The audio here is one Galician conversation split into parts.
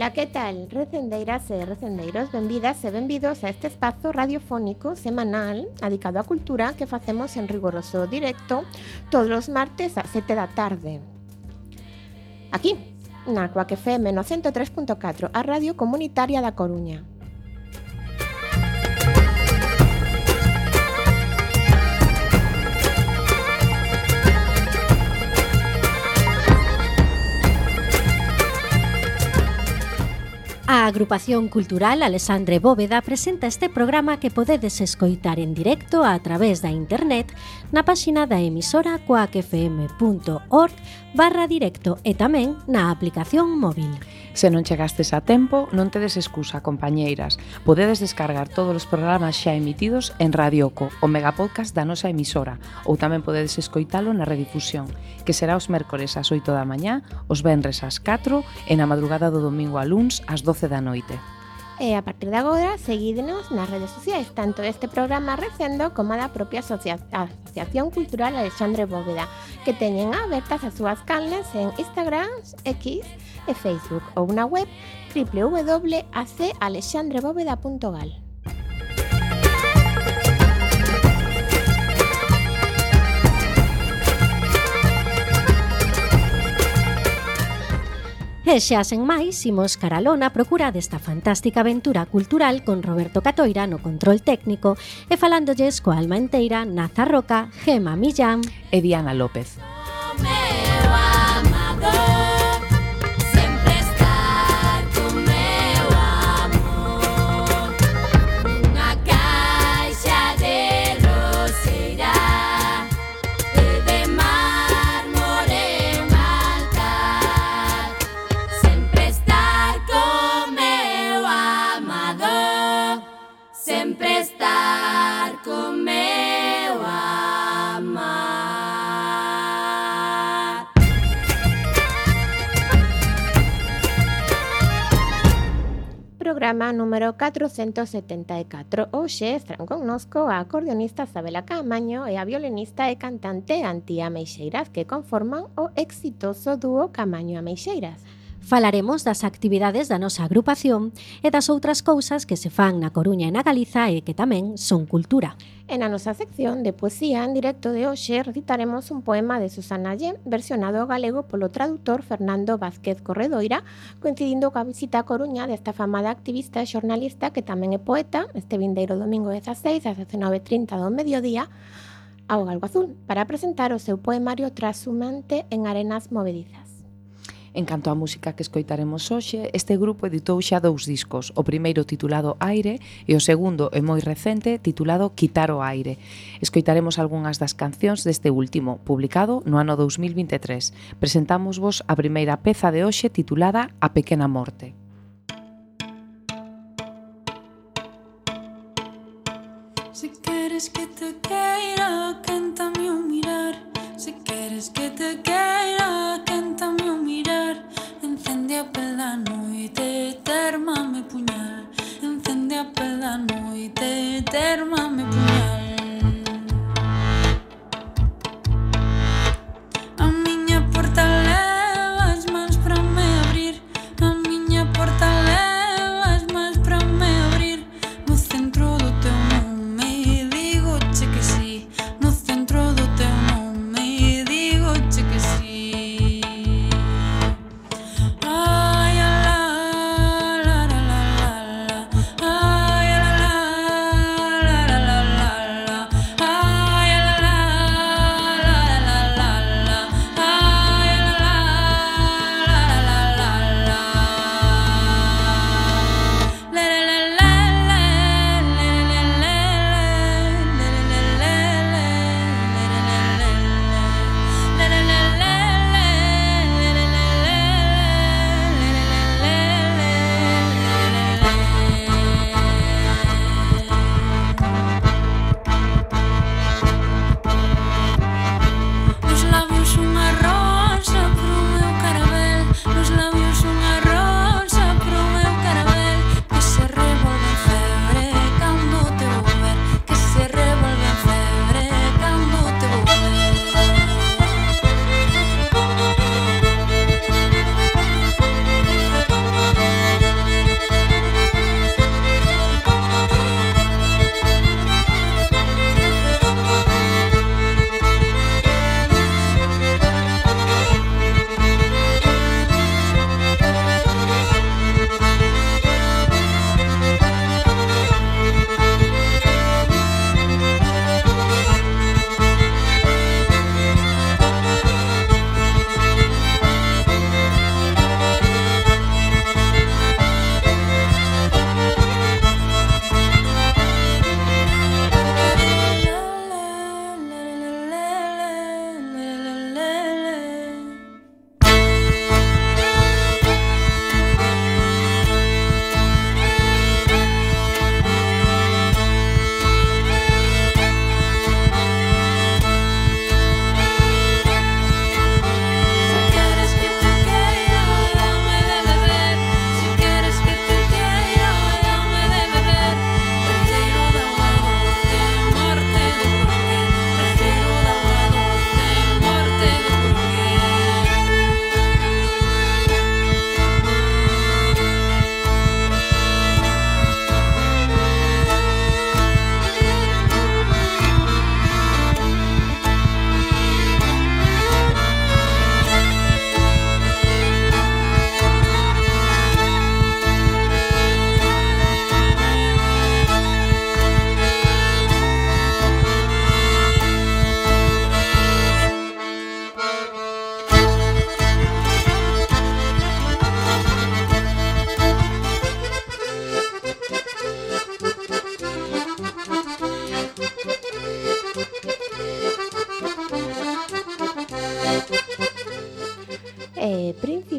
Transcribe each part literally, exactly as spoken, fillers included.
Ola, que tal? Recendeiras e recendeiros, benvidas e benvidos a este espazo radiofónico semanal dedicado á cultura que facemos en rigoroso directo todos os martes a sete da tarde. Aquí, na Cuac F M no ciento tres punto catro, a Radio Comunitaria da Coruña. A Agrupación Cultural Alexandre Bóveda presenta este programa que podedes escoitar en directo a través da internet na páxina da emisora cuacfm.org barra directo e tamén na aplicación móvil. Se non chegastes a tempo, non tedes excusa, compañeiras. Podedes descargar todos os programas xa emitidos en Radioco, o megapodcast da nosa emisora, ou tamén podedes escoitalo na redifusión, que será os mércores ás oito da mañá, os venres ás catro e na madrugada do domingo a luns ás doce da noite. E a partir de agora, seguídenos nas redes sociais, tanto este programa Recendo como a da propia asocia- Asociación Cultural Alexandre Bóveda, que teñen abertas as súas canles en Instagram, X e Facebook, ou na web doble u doble u doble u punto a c alexandre bóveda punto gal. E xa sen máis, imos caralona procura desta fantástica aventura cultural con Roberto Catoira no control técnico e falándolles coa alma enteira Naza Roca, Gema Millán e Diana López. Programa número catrocentos setenta e catro. Hoxe están connosco a acordeonista Sabela Caamaño e a violinista e cantante Antía Meixeiras, que conforman o exitoso dúo Caamaño a Meixeiras. Falaremos das actividades da nosa agrupación e das outras cousas que se fan na Coruña e na Galiza e que tamén son cultura. E na nosa sección de poesía en directo de hoxe recitaremos un poema de Susana Lle, versionado ao galego polo tradutor Fernando Vázquez Corredoira, coincidindo coa visita a Coruña desta afamada activista e xornalista que tamén é poeta, este vindeiro domingo dezaseis ás dezenove e trinta do mediodía, ao Galgo Azul, para presentar o seu poemario Trashumante en arenas movedizas. En canto á música que escoitaremos hoxe, este grupo editou xa dous discos, o primeiro titulado Aire e o segundo e moi recente titulado Quitar o Aire. Escoitaremos algunhas das cancións deste último, publicado no ano dous mil vinte e tres. Presentámosvos a primeira peza de hoxe titulada A Pequena Morte. Si queres que te queira, quéntame o mirar. Si queres que te queira, quéntame o mirar. Encende a pela noite, térmame puñal. Encende a pela noite, térmame puñal. A miña porta leva as mans para me abrir. A miña porta leva as mans para me abrir. No centro do teu nome digo che que sí. No centro do teu nome digo che que sí. Ai la la la la la la. Ai la la la la la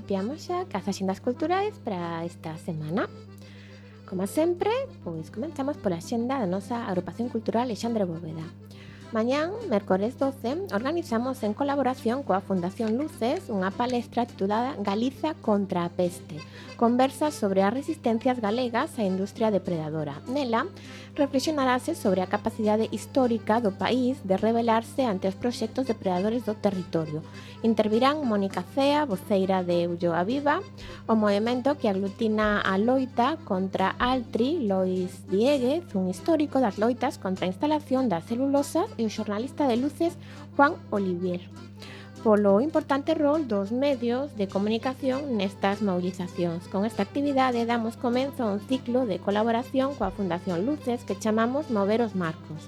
principiamos xa cas axendas culturais para esta semana. Como sempre, pois comenzamos pola axenda da nosa Agrupación Cultural Alexandre Bóveda. Mañán, mércores doce, organizamos en colaboración coa Fundación Luces unha palestra titulada Galiza contra a peste, conversas sobre as resistencias galegas á industria depredadora. Nela, reflexionarase sobre a capacidade histórica do país de rebelarse ante os proxectos depredadores do territorio. Intervirán Mónica Cea, voceira de Ulloa Viva, o movimento que aglutina a loita contra Altri, Lois Dieguez, un histórico das loitas contra a instalación das celulosas, e o xornalista de Luces, Juan Olivier, polo importante rol dos medios de comunicación nestas movilizacións. Con esta actividade damos comenzo a un ciclo de colaboración coa Fundación Luces que chamamos Mover os Marcos,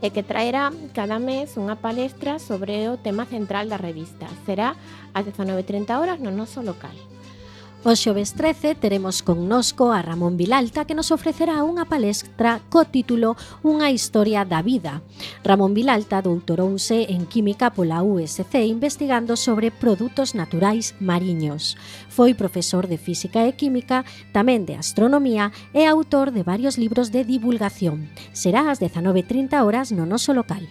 e que traerá cada mes unha palestra sobre o tema central da revista. Será ás dezanove e trinta horas no noso local. O xoves trece teremos connosco a Ramón Vilalta, que nos ofrecerá unha palestra co título Unha historia da vida. Ramón Vilalta doutorouse en Química pola U S C investigando sobre produtos naturais mariños. Foi profesor de Física e Química, tamén de Astronomía e autor de varios libros de divulgación. Será ás dezanove e trinta horas no noso local.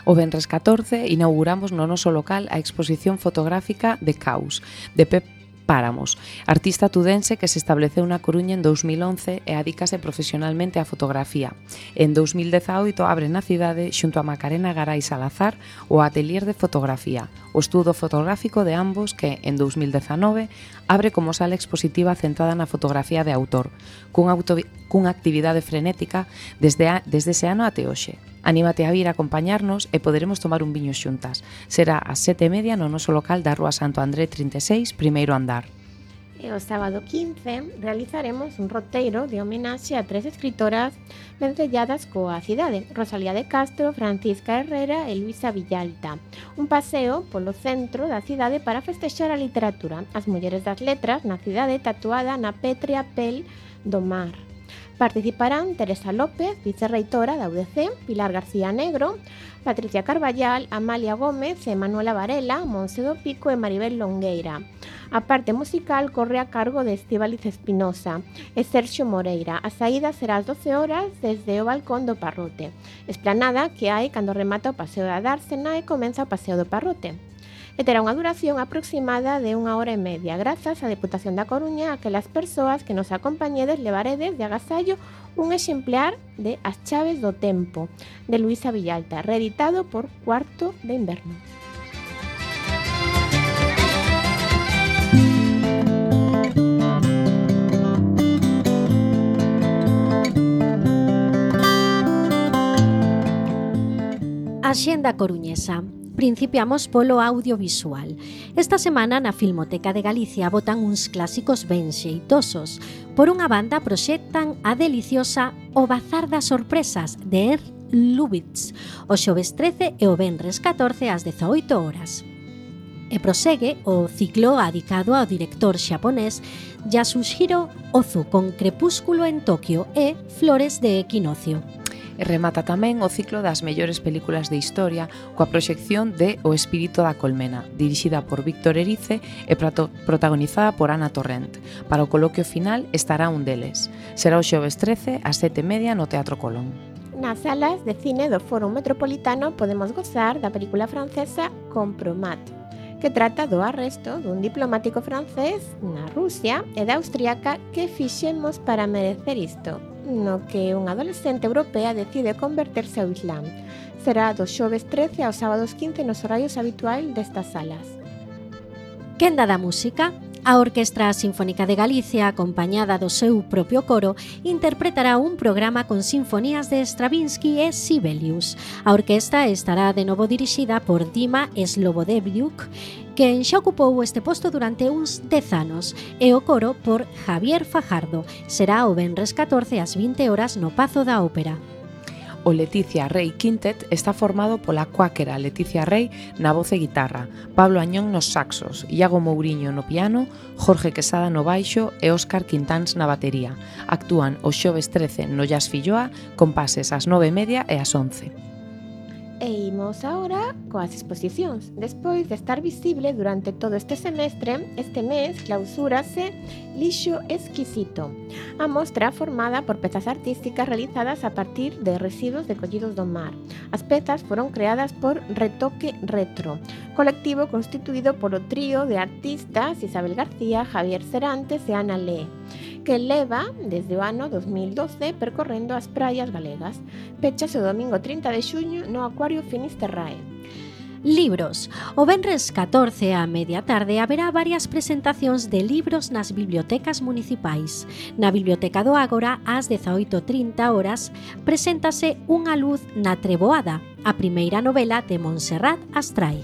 O venres catorce inauguramos no noso local a exposición fotográfica de Caos, de Pep Páramos, artista tudense que se estableceu na Coruña en dous mil once e adícase profesionalmente á fotografía. En dous mil dezaoito abre na cidade, xunto a Macarena Garay Salazar, o Atelier de Fotografía, o estudo fotográfico de ambos que, en dous mil dezanove, abre como sala expositiva centrada na fotografía de autor, cunha, auto, cunha actividade frenética desde, a, desde ese ano até hoxe. Anímate a vir a acompañarnos e poderemos tomar un viño xuntas. Será ás sete e media no noso local da Rúa Santo André trinta e seis, primeiro andar. E o sábado quince realizaremos un roteiro de homenaxe a tres escritoras vencelladas coa cidade: Rosalía de Castro, Francisca Herrera e Luisa Villalta. Un paseo polo centro da cidade para festexar a literatura, as mulleres das letras na cidade tatuada na pétrea pel do mar. Participarán Teresa López, vicerreitora da U D C, Pilar García Negro, Patricia Carballal, Amalia Gómez e Manuela Varela, Monse do Pico e Maribel Longueira. A parte musical corre a cargo de Estíbaliz Espinosa e Sergio Moreira. A saída será ás doce horas desde o balcón do Parrote, esplanada que hai cando remata o Paseo da Dársena e comeza o Paseo do Parrote. E terá unha duración aproximada de unha hora e media, grazas á Deputación da Coruña, a aquelas persoas que nos acompañedes levaredes de agasallo un exemplar de As chaves do tempo, de Luisa Villalta, reeditado por Cuarto de Inverno. Axenda coruñesa. Principiamos polo audiovisual. Esta semana na Filmoteca de Galicia botan uns clásicos ben xeitosos. Por unha banda proxectan a deliciosa O Bazar das Sorpresas de Ernst Lubitsch, o xoves trece e o venres catorce ás dezaoito horas. E prosegue o ciclo adicado ao director xaponés Yasuhiro Ozu con Crepúsculo en Tokio e Flores de Equinoccio. E remata tamén o ciclo das mellores películas de historia coa proxección de O espírito da colmena, dirixida por Víctor Erice e protagonizada por Ana Torrent. Para o coloquio final estará un deles. Será o xoves trece ás sete e media no Teatro Colón. Nas salas de cine do Fórum Metropolitano podemos gozar da película francesa Compromat, que trata do arresto dun diplomático francés na Rusia e da austríaca Que fixemos para merecer isto, no que unha adolescente europea decide converterse ao Islam. Será do xoves trece aos sábados quince nos horarios habituais destas salas. Quenda da música. A Orquestra Sinfónica de Galicia, acompañada do seu propio coro, interpretará un programa con sinfonías de Stravinsky e Sibelius. A orquesta estará de novo dirixida por Dima Slobodeviuk, quen xa ocupou este posto durante uns dez anos, e o coro por Javier Fajardo. Será o venres catorce ás vinte horas no Pazo da Ópera. O Leticia Rey Quintet está formado pola cuáquera Leticia Rey na voz e guitarra, Pablo Añón nos saxos, Iago Mouriño no piano, Jorge Quesada no baixo e Óscar Quintáns na batería. Actúan o xoves trece no Jazz Filloa con pases ás nove e media e ás once. E imos agora coas exposicións. Despois de estar visible durante todo este semestre, este mes clausúrase Lixo Exquisito, a mostra formada por pezas artísticas realizadas a partir de residuos decollidos do mar. As pezas foron creadas por Retoque Retro, colectivo constituído polo trío de artistas Isabel García, Javier Serantes e Ana Lé, que leva desde o ano dos mil doce percorrendo as praias galegas. Pechase o domingo trinta de xuño no Acuario Finisterrae. Libros. O venres catorce á media tarde haberá varias presentacións de libros nas bibliotecas municipais. Na Biblioteca do Ágora, ás dezaoito e trinta horas, preséntase Unha luz na treboada, a primeira novela de Montserrat Astray.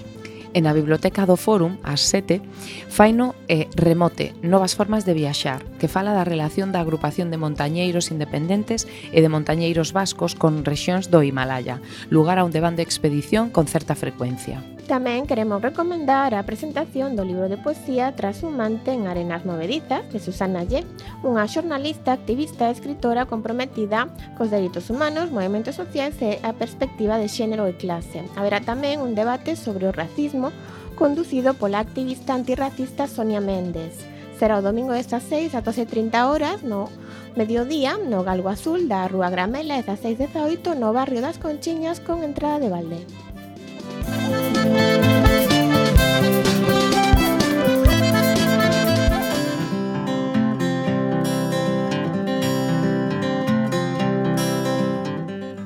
E na Biblioteca do Fórum, ás sete, faino e Remote, novas formas de viaxar, que fala da relación da agrupación de montañeiros independentes e de montañeiros vascos con rexións do Himalaya, lugar a onde van de expedición con certa frecuencia. Tamén queremos recomendar a presentación do libro de poesía Trashumante en arenas movedizas de Susana Lle, unha xornalista, activista e escritora comprometida cos dereitos humanos, movementos sociais e a perspectiva de xénero e clase. Haberá tamén un debate sobre o racismo conducido pola activista antirracista Sonia Méndez. Será o domingo destas seis a doce e trinta horas no mediodía no Galgo Azul da Rúa Gramela e das seis e dezaoito no barrio das Conchiñas con entrada de balde.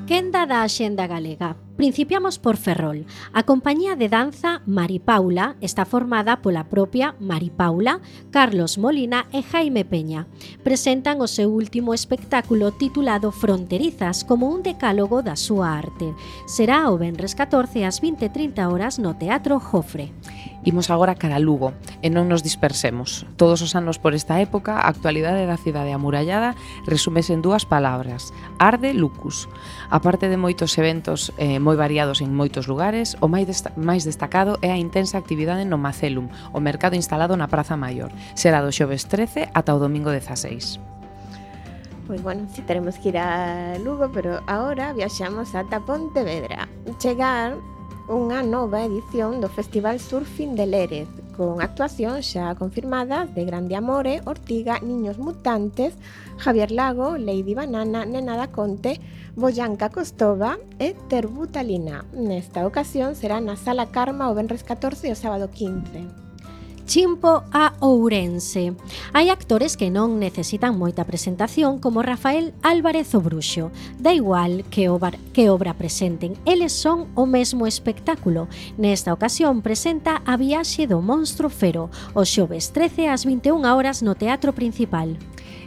Quenda da Axenda Galega. Principiamos por Ferrol. A compañía de danza Maripaula está formada pola propia Maripaula, Carlos Molina e Jaime Peña. Presentan o seu último espectáculo titulado Fronterizas como un decálogo da súa arte. Será o venres catorce ás vinte e trinta horas no Teatro Jofre. Imos agora cara a Lugo e non nos dispersemos. Todos os anos por esta época, a actualidade da cidade amurallada resúmese en dúas palabras: arde lucus. A parte de moitos eventos eh, moi variados en moitos lugares, o máis, desta- máis destacado é a intensa actividade no Macelum, o mercado instalado na Praza Maior. Será do xoves trece ata o domingo dezaseis. Pois bueno, si teremos que ir a Lugo, pero agora viaxamos ata Pontevedra. Chegar unha nova edición do Festival Surfing de Lérez, con actuacións xa confirmadas de Grande Amore, Ortiga, Niños Mutantes, Javier Lago, Lady Banana, Nena da Conte, Boyanca Costova e Terbutalina. Nesta ocasión será na Sala Karma o venres catorce e o sábado quince. Chimpo a Ourense. Hai actores que non necesitan moita presentación como Rafael Álvarez o Bruxo. Da igual que obra, que obra presenten, eles son o mesmo espectáculo. Nesta ocasión presenta A viaxe do monstro Fero, o xoves trece ás vinte e unha horas no Teatro Principal.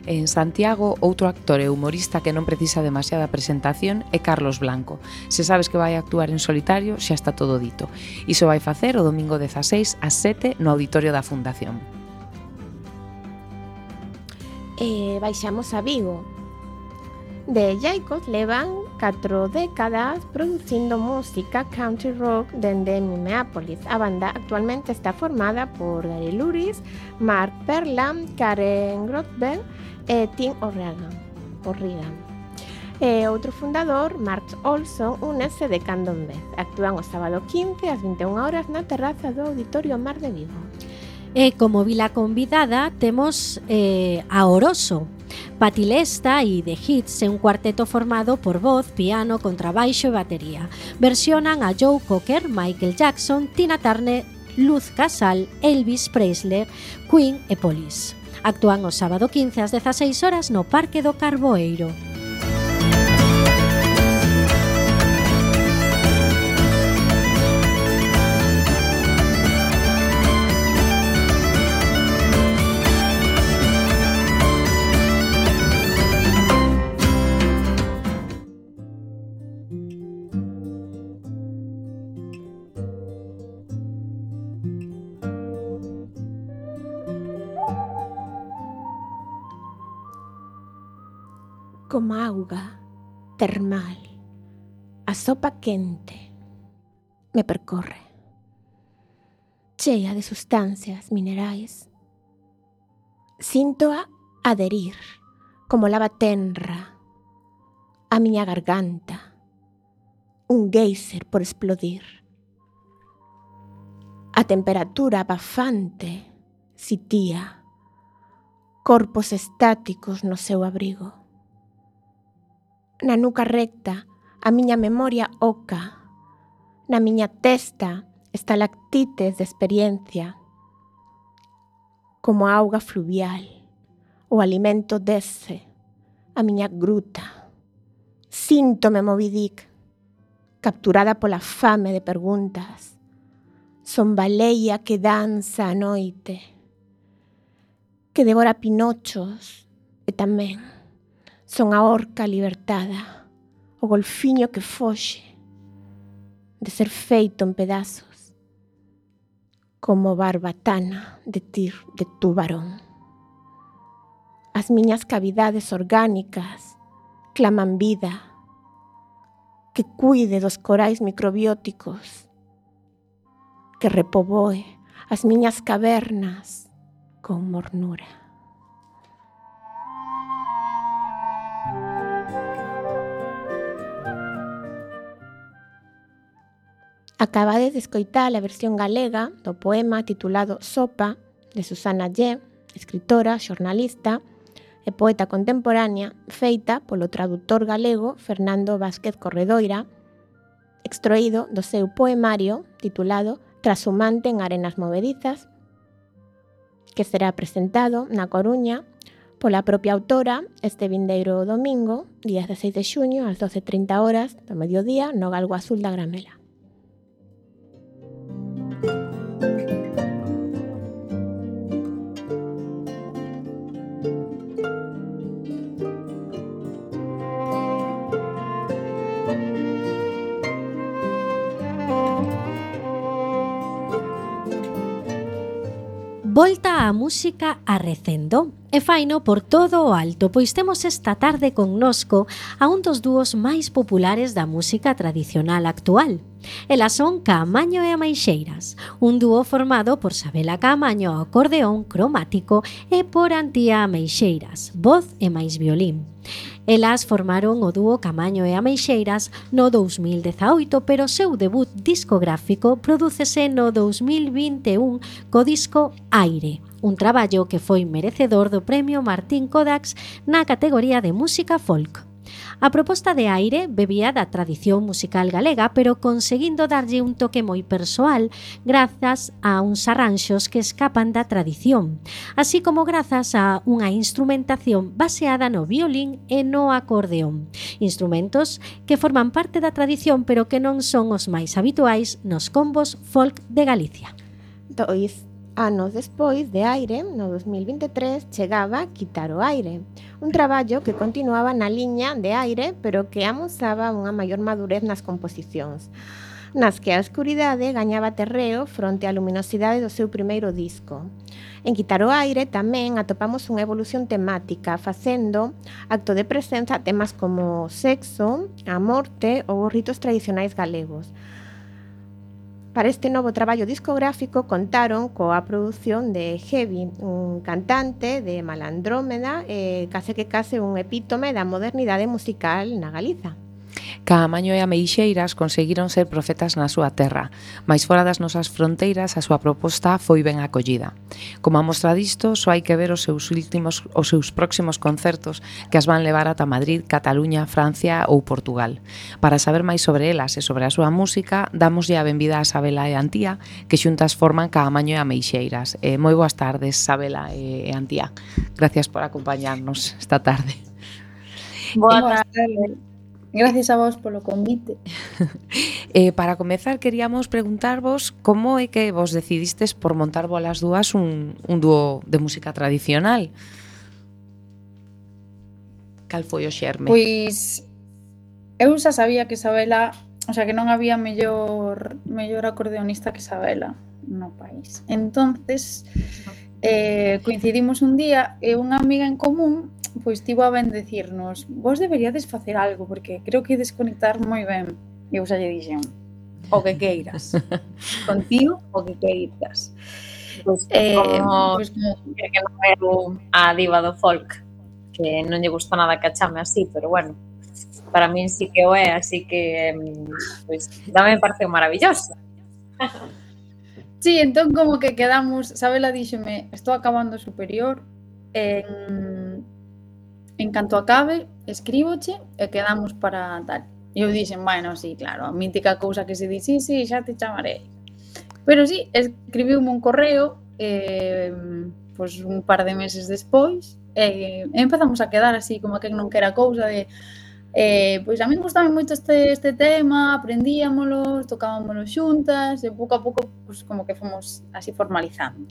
En Santiago, outro actor e humorista que non precisa demasiada presentación é Carlos Blanco. Se sabes que vai actuar en solitario, xa está todo dito. Iso vai facer o domingo dezaseis ás sete no auditorio da Fundación. E baixamos a Vigo. De Jaicos levan catro décadas producindo música country rock dende Minneapolis. A banda actualmente está formada por Gary Luris, Mark Perlam, Karen Grotberg e Tim O'Regan. O'Regan. E outro fundador, Mark Olson, únese de cando en vez. Actúan o sábado quince ás vinte e unha horas na terraza do Auditorio Mar de Vigo. E como vila convidada temos eh, a Oroso, Patilesta e The Hits, un cuarteto formado por voz, piano, contrabaixo e batería. Versionan a Joe Cocker, Michael Jackson, Tina Turner, Luz Casal, Elvis Presley, Queen e Police. Actúan o sábado quince ás dezaseis horas no Parque do Carboeiro. Como auga termal, a sopa quente me percorre, chea de sustancias minerais. Sintoa adherir como lava tenra a miña garganta, un geyser por explodir. A temperatura bafante sitía, corpos estáticos no seu abrigo. Na nuca recta, a miña memoria oca, na miña testa, estalactites de experiencia, como a auga fluvial, o alimento desce, a miña gruta. Síntome Moby Dick, capturada pola fame de preguntas. Son baleia que danza a noite, que devora pinochos, e tamén son a orca libertada, o golfiño que foxe de ser feito en pedazos, como barbatana de tir de tubarón. As miñas cavidades orgánicas claman vida, que cuide dos corais microbióticos, que repoboe as miñas cavernas con mornura. Acabades de escoitar a versión galega do poema titulado Sopa, de Susana Lle, escritora, xornalista e poeta contemporánea, feita polo traductor galego Fernando Vázquez Corredoira, extraído do seu poemario titulado Trashumante en arenas movedizas, que será presentado na Coruña pola propia autora este vindeiro domingo, día dezasseis de xuño, ás doce e trinta horas do mediodía, no Galgo Azul da Gramela. Volta a música arrecendo e faino por todo o alto, pois temos esta tarde connosco a un dos dúos máis populares da música tradicional actual. Elas son Caamaño e Ameixeiras, un dúo formado por Sabela Caamaño ao acordeón cromático e por Antía Ameixeiras, voz e máis violín. Elas formaron o dúo Caamaño e Ameixeiras no dous mil dezaoito, pero o seu debut discográfico prodúcese no dous mil vinte e un co disco Aire, un traballo que foi merecedor do premio Martín Kodax na categoría de música folk. A proposta de Aire bebía da tradición musical galega, pero conseguindo darlle un toque moi persoal grazas a uns arranxos que escapan da tradición, así como grazas a unha instrumentación baseada no violín e no acordeón, instrumentos que forman parte da tradición pero que non son os máis habituais nos combos folk de Galicia. Dois anos despois de Aire, no dos mil vinte e tres, chegaba Quitar o Aire, un traballo que continuaba na liña de Aire, pero que amosaba unha maior madurez nas composicións, nas que a escuridade gañaba terreo fronte á luminosidade do seu primeiro disco. En Quitar o Aire tamén atopamos unha evolución temática, facendo acto de presenza temas como o sexo, a morte ou os ritos tradicionais galegos. Para este novo traballo discográfico contaron coa produción de Heavy, un cantante de Malandrómeda e case que case un epítome da modernidade musical na Galiza. Caamaño e Ameixeiras conseguiron ser profetas na súa terra, mais fora das nosas fronteiras a súa proposta foi ben acollida. Como a mostra disto, só hai que ver os seus últimos, os seus próximos concertos que as van levar ata Madrid, Cataluña, Francia ou Portugal. Para saber máis sobre elas e sobre a súa música, damoslle a benvida a Sabela e Antía, que xuntas forman Caamaño e Ameixeiras. Eh, moi boas tardes, Sabela e Antía. Gracias por acompañarnos esta tarde. Boa tarde. Gracias a vos polo convite. eh, para comezar, queríamos preguntarvos como é que vos decidistes por montar vos as dúas un, un dúo de música tradicional. Cal foi o xerme? Pois eu xa sabía que Sabela, o sea, que non había mellor mellor acordeonista que Sabela no país. Entonces, eh, coincidimos un día e unha amiga en común pois tivo a ben decirnos: vos deberíades facer algo, porque creo que desconectar moi ben. E eu xa lle dixen: o que queiras. Contigo, o que queiras. Pois Eh, como pois como que non é a diva do folk, que non lle gusta nada que a chame así, pero bueno. para min sí que o é, así que pois tamén me pareceu maravilloso. Sí, entón como que quedamos, Sabela díxome, estou acabando o superior, en, en canto acabe, escríboche e quedamos para tal. E eu dixen, bueno, sí, claro, a mítica cousa que se di, sí, sí, xa te chamaré. Pero sí, escribiume un correo, eh, pois un par de meses despois, e empezamos a quedar así, como que non quera cousa de... Eh, pois a mí gustaba moito este, este tema, aprendíamolo, tocábamolo xuntas e pouco a pouco pois, como que fomos así formalizando.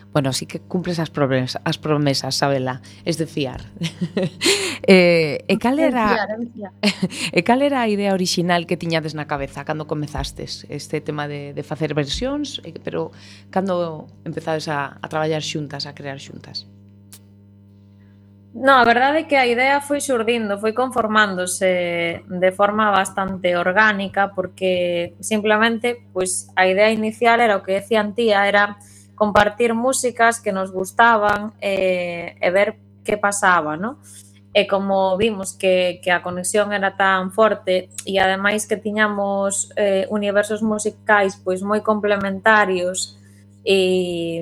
Bueno, sí que cumples as promesas, as promesas, Sabela, es de fiar. eh, e cal era É de fiar, é de fiar. E cal era a idea orixinal que tiñades na cabeza cando comezastes este tema de, de facer versións, pero cando empezades a, a traballar xuntas, a crear xuntas? No, a verdade é que a idea foi xurdindo, foi conformándose de forma bastante orgánica porque simplemente pois, a idea inicial era o que decían tía, era compartir músicas que nos gustaban e, e ver que pasaba, ¿no? E como vimos que, que a conexión era tan forte e ademais que tiñamos eh, universos musicais pois moi complementarios e,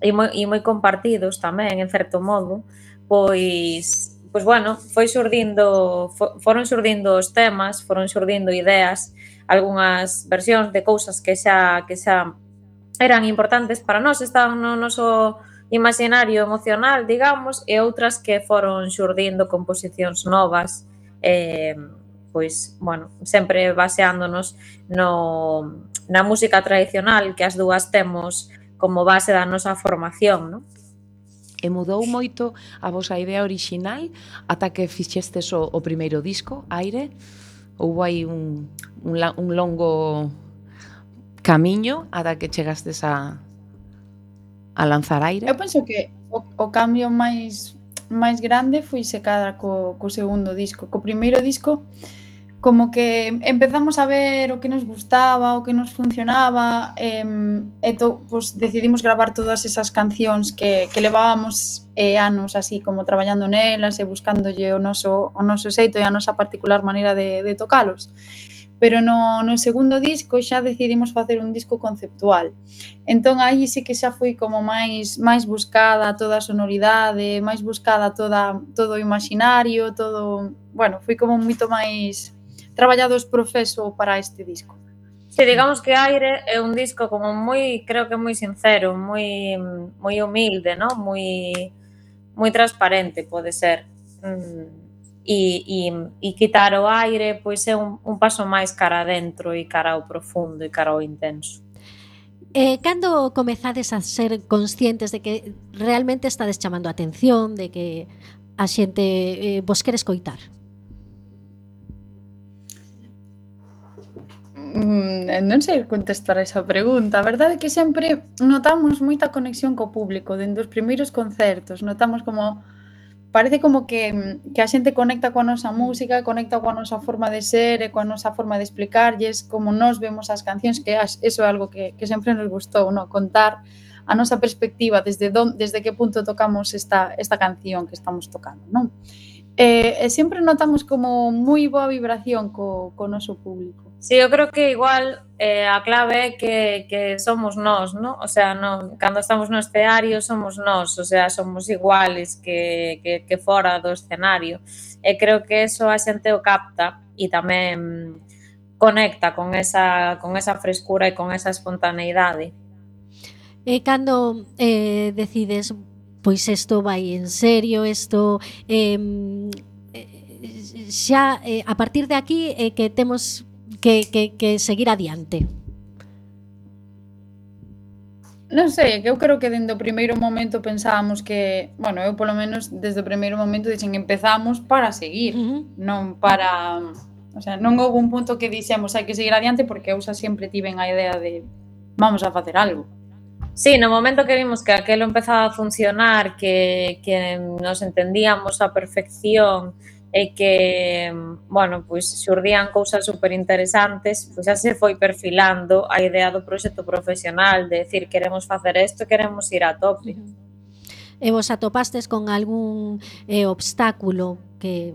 e, moi, e moi compartidos tamén, en certo modo, pois, pois bueno, foi xurdindo, foron xurdindo os temas, foron xurdindo ideas, algunhas versións de cousas que xa, que xa eran importantes para nós, estaban no noso imaginario emocional, digamos, e outras que foron xurdindo composicións novas, eh, pois, bueno, sempre baseándonos no, na música tradicional que as dúas temos como base da nosa formación, non? E mudou moito a vosa idea orixinal ata que fixestes o, o primeiro disco, Aire? Houve aí un, un, un longo camiño ata que chegastes a, a lanzar Aire? Eu penso que o, o cambio máis máis grande foi se cada co, co segundo disco. Co primeiro disco como que empezamos a ver o que nos gustaba, o que nos funcionaba, eh, e to, pues, decidimos gravar todas esas cancións que, que levábamos eh, anos así como traballando nelas e buscándolle o noso, o noso xeito e a nosa particular maneira de, de tocalos. Pero no, no segundo disco xa decidimos facer un disco conceptual. Entón aí sí que xa foi como máis máis buscada toda a sonoridade, máis buscada toda todo o imaginario, todo, bueno, foi como moito máis traballados proceso para este disco. Sí, digamos que Aire é un disco como moi, creo que moi sincero, moi moi humilde, ¿no? Moi moi transparente, pode ser. Mm. E, e, e quitar o aire pois é un, un paso máis cara adentro e cara ao profundo e cara ao intenso. Eh, cando comezades a ser conscientes de que realmente estades chamando a atención, de que a xente eh, vos quere escoitar? Mm, non sei contestar a esa pregunta. A verdade é que sempre notamos moita conexión co público dende os primeiros concertos. Notamos como parece como que, que a xente conecta coa nosa música, conecta coa nosa forma de ser e coa nosa forma de explicarlles como nós vemos as cancións, que eso é algo que, que sempre nos gustou, ¿no? Contar a nosa perspectiva desde, don, desde que punto tocamos esta, esta canción que estamos tocando, non? E, e sempre notamos como moi boa vibración co, co noso público. Sí, eu creo que igual eh, a clave é que, que somos nós, ¿no? O sea, no, cando estamos no escenario somos nós, o sea, somos iguales que, que, que fora do escenario. E creo que eso a xente o capta e tamén conecta con esa, con esa frescura e con esa espontaneidade. E cando eh, decides, pois isto vai en serio, isto eh, xa eh, a partir de aquí eh, que temos que, que, que seguir adiante? Non sei, que eu creo que dende o primeiro momento pensábamos que, bueno, eu polo menos desde o primeiro momento dixen que empezamos para seguir, uh-huh. non para, o sea, non houve un punto que dixemos hai que seguir adiante porque eu xa sempre tiven a idea de vamos a facer algo. Sí, no momento que vimos que aquelo empezaba a funcionar, que, que nos entendíamos a perfección e que, bueno, pois xurdían cousas superinteresantes, pois xa se foi perfilando a idea do proxecto profesional, de decir, queremos facer isto, queremos ir a tope. E vos atopastes con algún eh, obstáculo que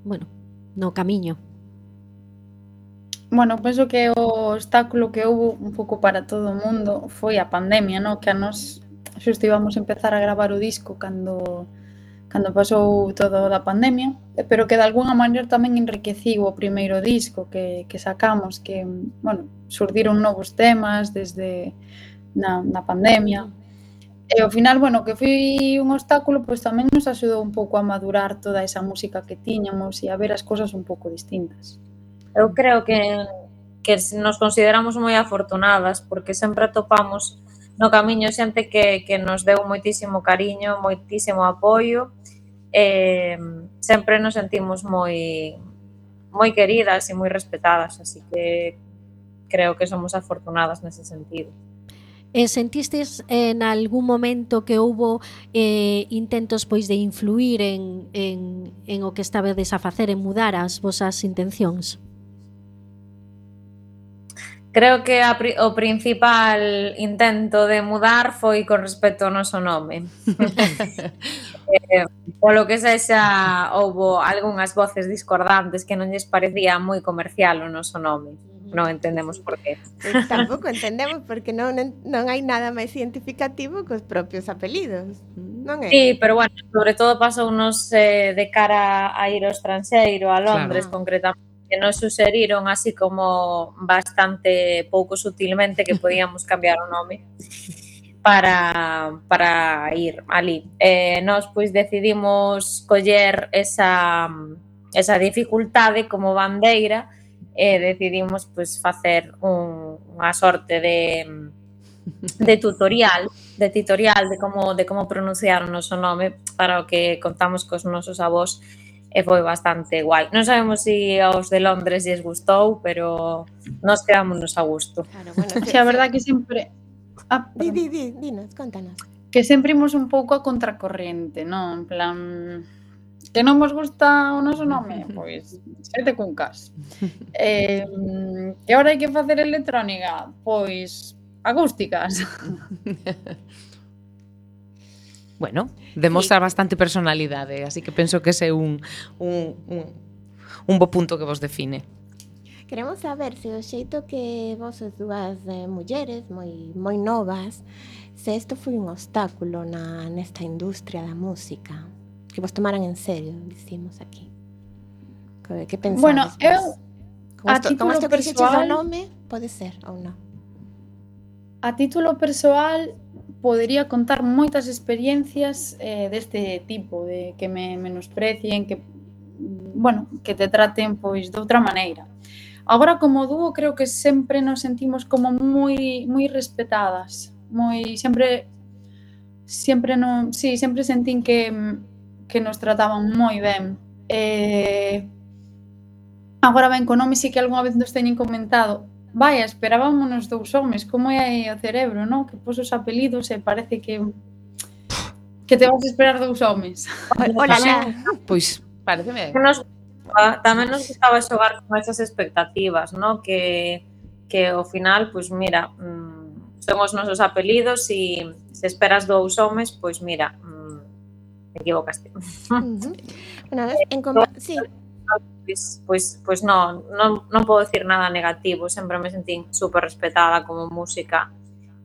bueno, no camiño? Bueno, penso que o obstáculo que houve un pouco para todo o mundo foi a pandemia, no? Que a nos xusto íbamos a empezar a gravar o disco cando cando pasou todo da pandemia, pero que de alguna maneira tamén enriqueciu o primeiro disco que, que sacamos, que, bueno, surdiron novos temas desde na, na pandemia. E ao final, bueno, que foi un obstáculo, pois tamén nos axudou un pouco a madurar toda esa música que tiñamos e a ver as cosas un pouco distintas. Eu creo que, que nos consideramos moi afortunadas porque sempre atopamos no camiño xente que, que nos deu moitísimo cariño, moitísimo apoio, e sempre nos sentimos moi moi queridas e moi respetadas, así que creo que somos afortunadas nese sentido. E sentistes en algún momento que houbo eh, intentos pois de influir en, en, en o que estabades a facer, en mudar as vosas intencións? Creo que a, o principal intento de mudar foi con respecto ao noso nome. eh, polo que sexa, houbo algunhas voces discordantes que non lles parecía moi comercial o noso nome. Non entendemos por qué. Pues tampouco entendemos porque non, non hai nada máis identificativo que os propios apelidos, non é? Sí, pero bueno, sobre todo pasounos eh, de cara a ir ao estranxeiro, a Londres, claro, concretamente, que nos suxeriron así como bastante pouco sutilmente que podíamos cambiar o nome para, para ir ali. Eh, nos pois decidimos coller esa, esa dificultade como bandeira e decidimos pois facer un, unha sorte de, de tutorial, de tutorial de como, de como pronunciar o noso nome para o que contamos cos nosos avós. E foi bastante guai. Non sabemos se aos de Londres lles gustou, pero nos quedámonos a gusto. Claro, bueno, que, a verdade que sempre... Ah, di, di, di, dinos, contanos. Que sempre imos un pouco a contracorrente, non? En plan... Que non vos gusta o noso nome? Pois, sete cuncas. Eh, que ahora hai que facer electrónica? Pois, acústicas. Bueno, demostra sí. bastante personalidade, así que penso que ese é un, un, un, un bo punto que vos define. Queremos saber se o xeito que vos as dúas eh, mulleres moi, moi novas, se isto foi un obstáculo na, nesta industria da música, que vos tomaran en serio, dicimos aquí. Que, que pensades? Bueno, eu, con a esto, título con esto persoal... que o nome, pode ser ou non? A título persoal... Podería contar moitas experiencias eh, deste tipo, de que me menosprecien, que, bueno, que te traten pois de outra maneira. Agora, como dúo, creo que sempre nos sentimos como moi moi respetadas, moi sempre sempre non, sí, sempre sentín que que nos trataban moi ben. Eh, agora ben, co nome sí que algunha vez nos teñen comentado. Vaya, esperábamos dous homes, como é o cerebro, non? Que pos os apelidos e parece que que te vas a esperar dous homes. Hola, pois pareceme. Nos, tamén nos gustaba xogar con esas expectativas, non? Que que ao final, pois mira, mmm, son os nosos apelidos e se esperas dous homes, pois mira, mmm, equivocaste. Uh-huh. Bueno, en compa- sí. Pois, pois, pois non, non, non podo decir nada negativo, sempre me sentín super respetada como música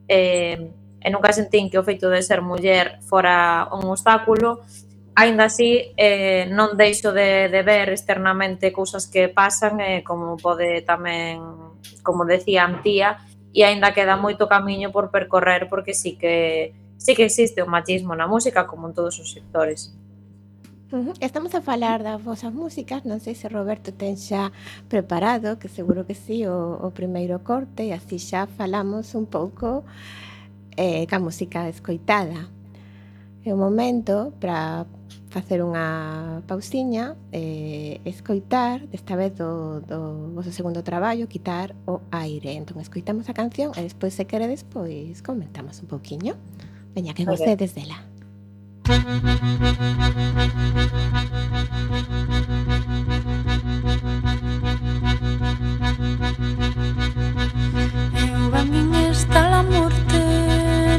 eh, e nunca sentín que o feito de ser muller fora un obstáculo. Aínda así, eh, non deixo de, de ver externamente cousas que pasan, eh, como pode tamén, como decía a tía, e aínda queda moito camiño por percorrer, porque sí que, sí que existe o machismo na música, como en todos os sectores. Uh-huh. Estamos a falar das vosas músicas, non sei se Roberto ten xa preparado, que seguro que sí, o, o primeiro corte, e así xa falamos un pouco eh, ca música escoitada. É un momento para facer unha pausiña, eh, escoitar, desta vez do, do vosso segundo traballo, Quitar o aire. Entón, escoitamos a canción e despois, se queredes, pois comentamos un pouquiño. Veña, que gocedes dela. Eu a min está la morte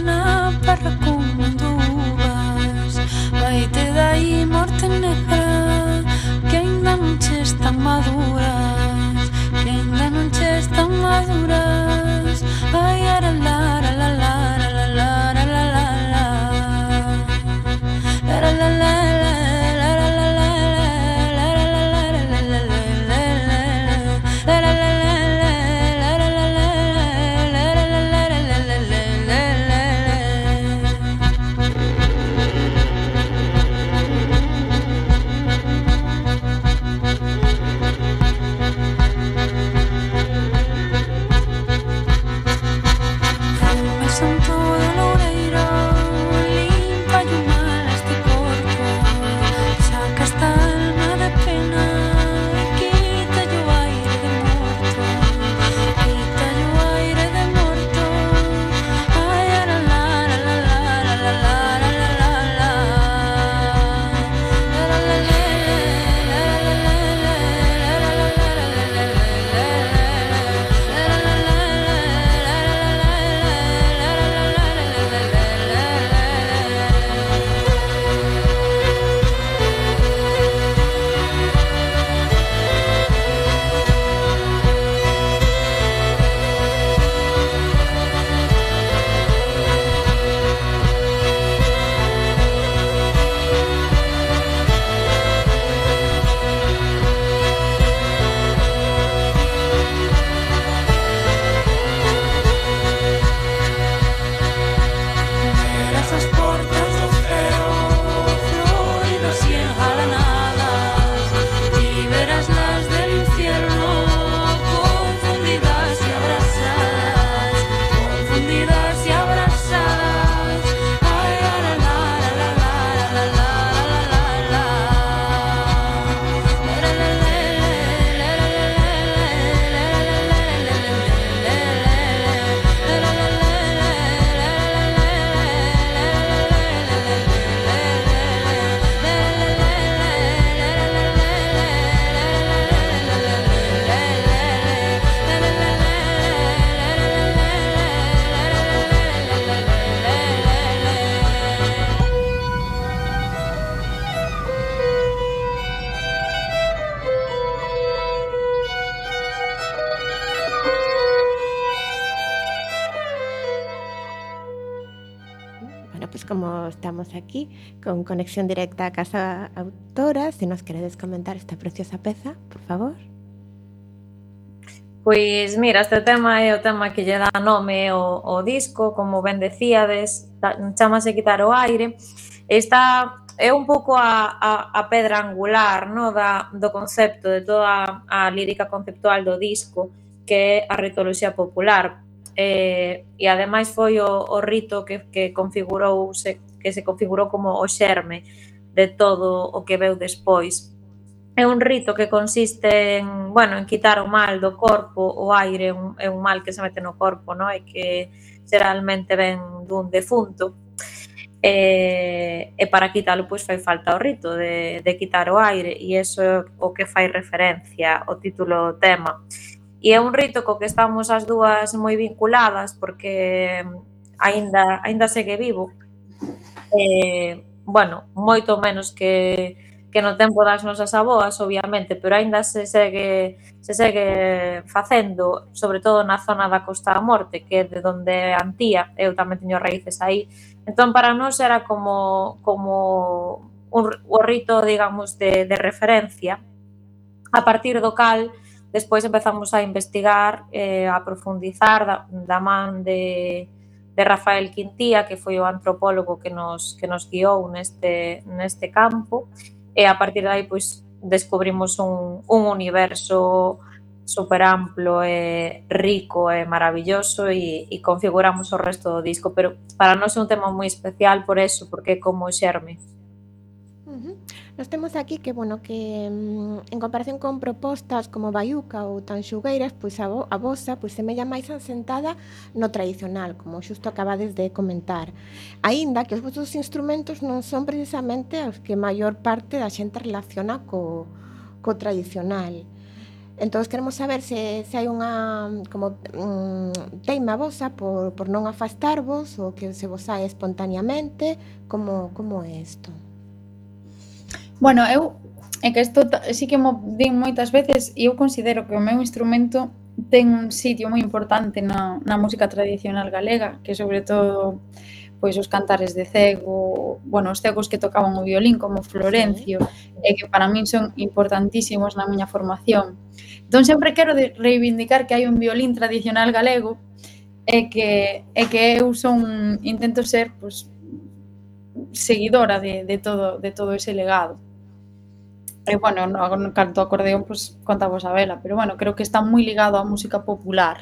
na parra como dúas. Vaite dai morte negra que ainda non maduras, que ainda non che están maduras. Ai, ara, la, la, la, la, la, la, la, la, la, la, la. La, la, la, la, la, la, la, la, la, la, la, la, la, la, la, la, la, la, la, la. Como estamos aquí con conexión directa a Casa Autora, se nos queredes comentar esta preciosa peza, por favor. Pois mira, este tema é o tema que lle dá nome ao, ao disco, como ben decíades, chamase Quitar o Aire. Está, é un pouco a, a, a pedra angular, no, da, do concepto de toda a lírica conceptual do disco, que é a ritoloxía popular. Eh, e ademais foi o, o rito que, que configurou se, que se configurou como o xerme de todo o que veu despois. É un rito que consiste en, bueno, en quitar o mal do corpo. O aire é un, é un mal que se mete no corpo, no? E que xeralmente ven dun defunto. E, e para quitalo pois fai falta o rito de, de quitar o aire, e iso é o que fai referencia o título do tema. E é un rito co que estamos as dúas moi vinculadas porque aínda aínda segue vivo. Eh, bueno, moito menos que, que no tempo das nosas avoas, obviamente, pero aínda se segue se segue facendo, sobre todo na zona da Costa da Morte, que é de onde é Antía, eu tamén teño raíces aí. Entón, para nós era como como un, o rito, digamos, de, de referencia, a partir do cal despois empezamos a investigar, eh, a profundizar da, da man de, de Rafael Quintía, que foi o antropólogo que nos, que nos guiou neste, neste campo, e a partir de aí pois, descubrimos un, un universo super amplo e rico e maravilloso e, e configuramos o resto do disco, pero para nós é un tema moi especial por eso, porque é como o xerme. Uh-huh. Nos temos aquí que, bueno, que mm, en comparación con propostas como Baiuca ou Tanxugueiras, pois a, vo, a vosa pois semella máis asentada no tradicional, como xusto acabades de comentar. Aínda que os vosos instrumentos non son precisamente os que maior parte da xente relaciona co, co tradicional. Entón, queremos saber se, se hai unha como um, teima vosa por, por non afastarvos ou que se vos sae espontaneamente, como, como é isto? Bueno, eu é que isto sí que mo din moitas veces e eu considero que o meu instrumento ten un sitio moi importante na, na música tradicional galega, que sobre todo pois os cantares de cego, bueno, os cegos que tocaban o violín como Florencio, sí. E que para min son importantísimos na miña formación. Entón sempre quero de reivindicar que hai un violín tradicional galego e que, e que eu son, intento ser pois, seguidora de, de, todo, de todo ese legado. E, bueno, no, no canto acordeón, pois, contamos a vela, pero, bueno, creo que está moi ligado á música popular.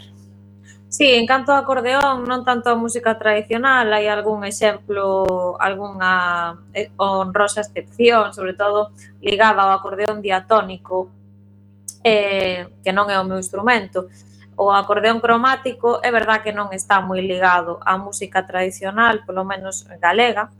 Sí, en canto ao acordeón, non tanto a música tradicional, hai algún exemplo, algunha honrosa excepción, sobre todo ligada ao acordeón diatónico, eh, que non é o meu instrumento. O acordeón cromático é verdad que non está moi ligado á música tradicional, polo menos galega,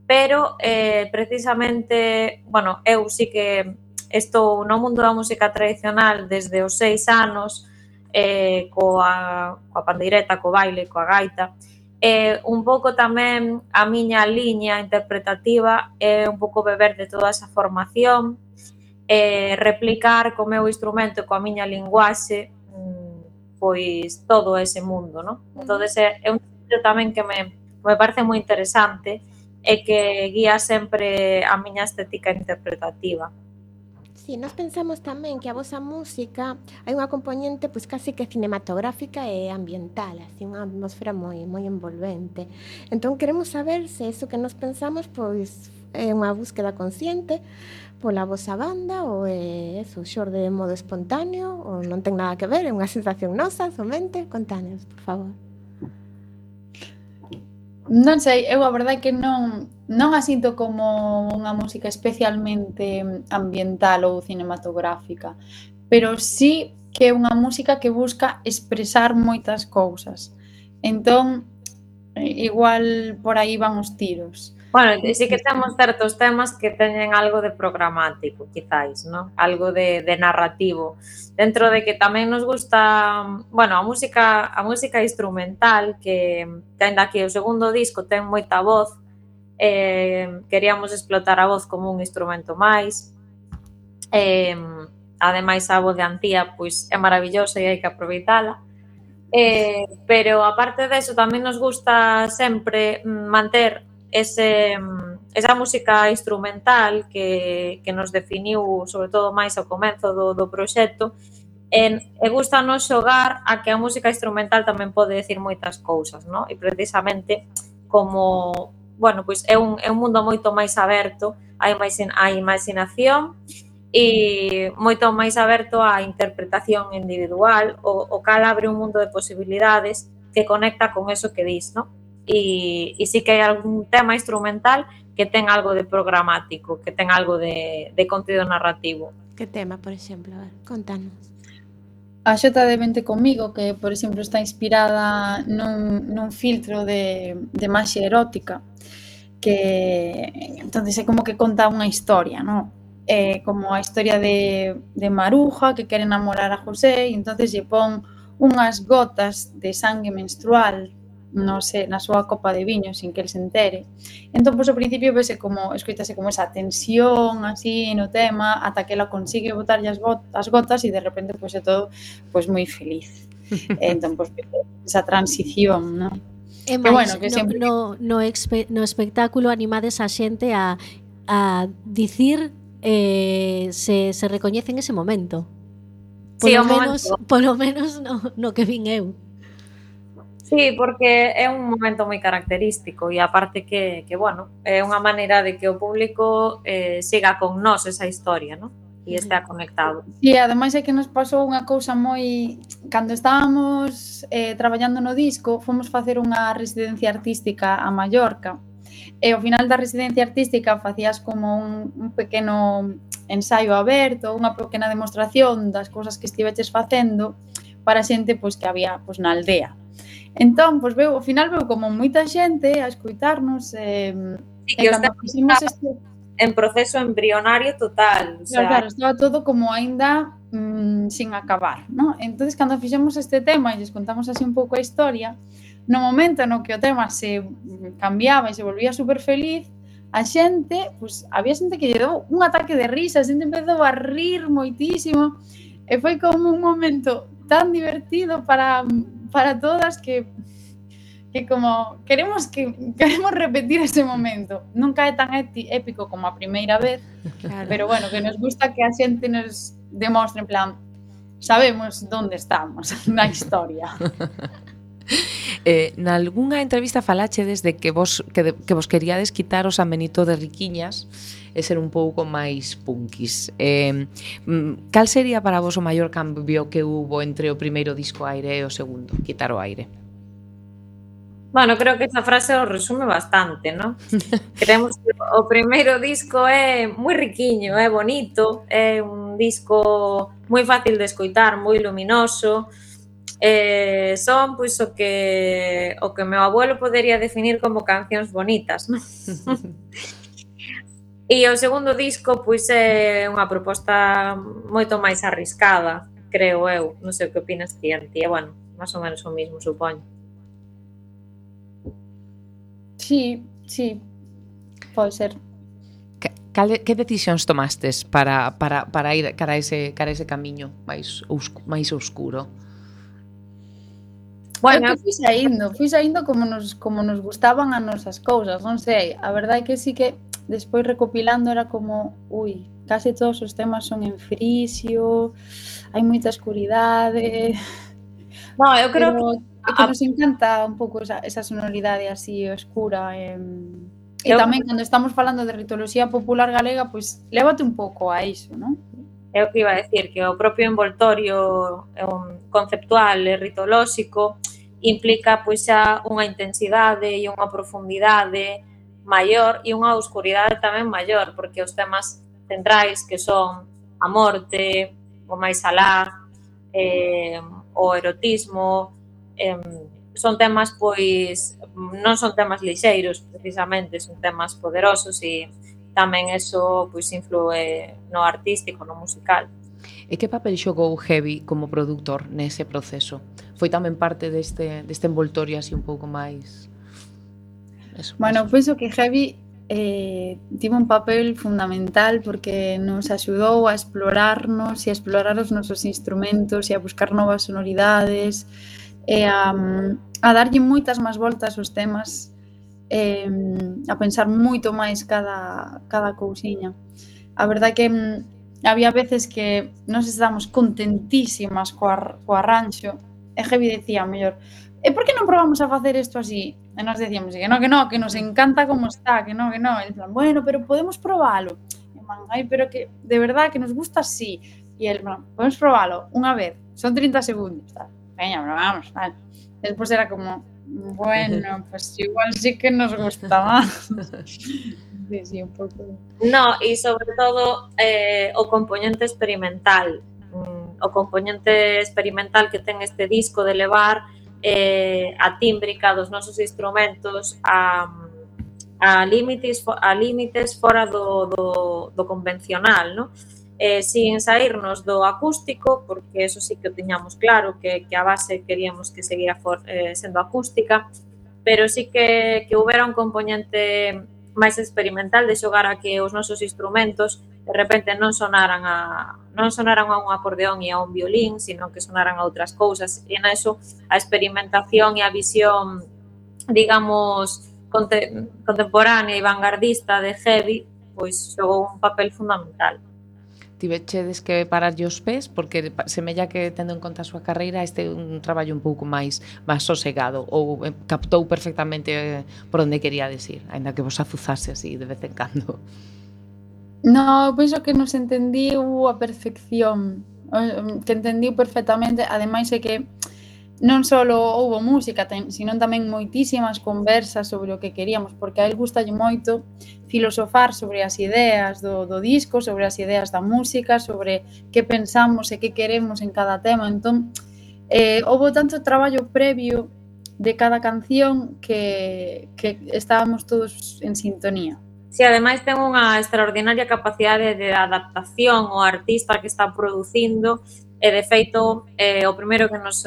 pero eh, precisamente, bueno, eu sí que estou no mundo da música tradicional desde os seis anos, eh, coa, coa pandeireta, co baile, coa gaita, eh, un pouco tamén a miña liña interpretativa é un pouco beber de toda esa formación, eh, replicar co meu instrumento, coa miña linguaxe, pois todo ese mundo, non? Entón, é un sitio tamén que me, me parece moi interesante e que guía sempre a miña estética interpretativa. Sí, nós pensamos tamén que a vosa música hai unha componente pois casi que cinematográfica e ambiental, así unha atmosfera moi moi envolvente. Entón queremos saber se eso que nos pensamos pois é unha búsqueda consciente pola vosa banda ou é eso, xorde de modo espontáneo ou non ten nada que ver, é unha sensación nosa somente. Contanos, por favor. Non sei, eu a verdade é que non, non a sinto como unha música especialmente ambiental ou cinematográfica, pero sí que é unha música que busca expresar moitas cousas. Entón, igual por aí van os tiros. Bueno, sí que temos certos temas que teñen algo de programático, quizáis, ¿no? Algo de, de narrativo. Dentro de que tamén nos gusta, bueno, a música a música instrumental, que, que ainda que o segundo disco ten moita voz, eh, queríamos explotar a voz como un instrumento máis. Eh, ademais, a voz de Antía pois, é maravillosa e hai que aproveitala. Eh, pero, aparte deso, tamén nos gusta sempre manter ese, esa música instrumental que, que nos definiu, sobre todo máis ao comezo do, do proxecto, e, e gusta nos xogar a que a música instrumental tamén pode decir moitas cousas, ¿no? E precisamente como, bueno, pois é un, é un mundo moito máis aberto á imaginación e moito máis aberto á interpretación individual, o, o cal abre un mundo de posibilidades que conecta con eso que dis, ¿no? E, e sí que hai algún tema instrumental que ten algo de programático, que ten algo de, de contido narrativo. Que tema, por exemplo? A ver, contanos. A Xota de Vente Comigo, que, por exemplo, está inspirada nun, nun filtro de, de maxia erótica, que entonces é como que conta unha historia, ¿no? É como a historia de, de Maruja, que quere enamorar a José, e entonces lle pon unhas gotas de sangue menstrual no sé, na súa copa de viño sin que el se entere. Entón, pois, ao principio vese como, escoitase como esa tensión así no tema, ata que ela consigue botarlle as, got as gotas e de repente, pois, é todo pois moi feliz. Entón, pois, esa transición, non? E máis, bueno, que sempre... no, no, expe no espectáculo animades a xente a, a dicir eh, se, se recoñece en ese momento. Polo sí, menos, momento. Polo menos no, no que vin eu. Sí, porque é un momento moi característico e aparte que, que bueno, é unha maneira de que o público eh, siga con nós esa historia, ¿no? E estea conectado. E ademais é que nos pasou unha cousa moi... Cando estábamos eh, traballando no disco, fomos facer unha residencia artística a Mallorca e ao final da residencia artística facías como un, un pequeno ensaio aberto, unha pequena demostración das cousas que estiveches facendo para xente pois, que había pois, na aldea. Entón, pois veu, ao final veu como moita xente a escoitarnos eh, sí, que cando fixemos este... en proceso embrionario total, o sea, claro, estaba todo como aínda mmm, sin acabar, ¿no? Entonces, cando fixemos este tema e lles contamos así un pouco a historia, no momento no que o tema se cambiaba e se volvía super feliz, a xente, pues, había xente que lle dou un ataque de risa, a xente empezou a rir moitísimo, e foi como un momento tan divertido para, para todas que que como queremos que queremos repetir ese momento. Nunca é tan épico como a primeira vez, claro. Pero bueno, que nos gusta que a xente nos demostre en plan, sabemos onde estamos na historia. Eh, nalgúnha entrevista falachedes de que vos que, de, que vos queríades quitar o San Benito de Riquiñas e ser un pouco máis punkis. Eh, cal sería para vos o maior cambio que hubo entre o primeiro disco Aire e o segundo, Quitar o Aire? Bueno, creo que esa frase o resume bastante, ¿no? Creemos que o primeiro disco é moi riquiño, é bonito, é un disco moi fácil de escoitar, moi luminoso, eh, son pois o que o que meu abuelo podería definir como cancións bonitas, ¿no? E o segundo disco pois é unha proposta moito máis arriscada, creo eu, non sei o que opinas ti, Antía, bueno, máis ou menos o mismo, supoño. Sí, sí, pode ser. Que, que decisións tomastes para, para, para ir cara a ese, cara a ese camiño máis, máis oscuro? Bueno, eu fui saindo, fui saindo como nos, como nos gustaban as nosas cousas, non sei, a verdade é que sí que despois recopilando era como, ui, case todos os temas son en frisio, hai moita escuridade. No, eu creo que É que nos encanta un pouco esa, esa sonoridade así oscura e, e tamén cando estamos falando de ritoloxía popular galega, pois lévate un pouco a iso, non? É o que iba a decir, que o propio envoltorio um, conceptual e ritolóxico implica pois xa unha intensidade e unha profundidade maior e unha oscuridade tamén maior, porque os temas centrais que son a morte, o máis alá, eh, o erotismo, Eh, son temas pois non son temas lixeiros precisamente, son temas poderosos e tamén eso pois influe no artístico, no musical. E que papel xogou Heavy como produtor nese proceso? Foi tamén parte deste, deste envoltorio así un pouco máis... Eso, bueno, eso. Penso que Heavy eh, tivo un papel fundamental porque nos axudou a explorarnos e a explorar os nosos instrumentos e a buscar novas sonoridades e a, a darlle moitas máis voltas aos temas, eh, a pensar moito máis cada, cada cousiña. A verdade que había veces que nos estábamos contentísimas co, ar, co arranxo e Heavy decía, mellor, e por que non probamos a facer isto así? E nos decíamos que no, que no, que nos encanta como está, que no, que no. E en plan, bueno, pero podemos probalo. E man, ai, pero que de verdade que nos gusta así. E el, bueno, podemos probalo unha vez, son trinta segundos, tal. Veña, pero vamos, vale. Despois era como, bueno, pues igual sí que nos gusta más. Sí, sí, un pouco. No, e sobre todo eh, o componente experimental. Mm, o componente experimental que ten este disco de levar eh, a tímbrica dos nosos instrumentos a, a, límites, a límites fora do, do, do convencional, ¿no? Eh, sin saírnos do acústico, porque eso sí que o tiñamos claro, que, que a base queríamos que seguira for, eh, sendo acústica, pero sí que, que houbera un componente máis experimental de xogar a que os nosos instrumentos de repente non sonaran a non sonaran a un acordeón e a un violín, sino que sonaran a outras cousas, e naso a experimentación e a visión, digamos, conte, contemporánea e vanguardista de Heavy, pois xogou un papel fundamental. Tivechedes que pararlle os pés porque semella que tendo en conta a súa carreira este é un traballo un pouco máis máis sosegado ou captou perfectamente por onde quería decir, aínda que vos azuzase así de vez en cando. No, penso que nos entendiu a perfección, que entendiu perfectamente, ademais é que non só houbo música, sino tamén moitísimas conversas sobre o que queríamos, porque a él gustalle moito filosofar sobre as ideas do, do disco, sobre as ideas da música, sobre que pensamos e que queremos en cada tema. Entón, eh, houbo tanto traballo previo de cada canción que, que estábamos todos en sintonía. Si, ademais ten unha extraordinaria capacidade de adaptación ao artista que está producindo e, de feito, eh, o primeiro que nos,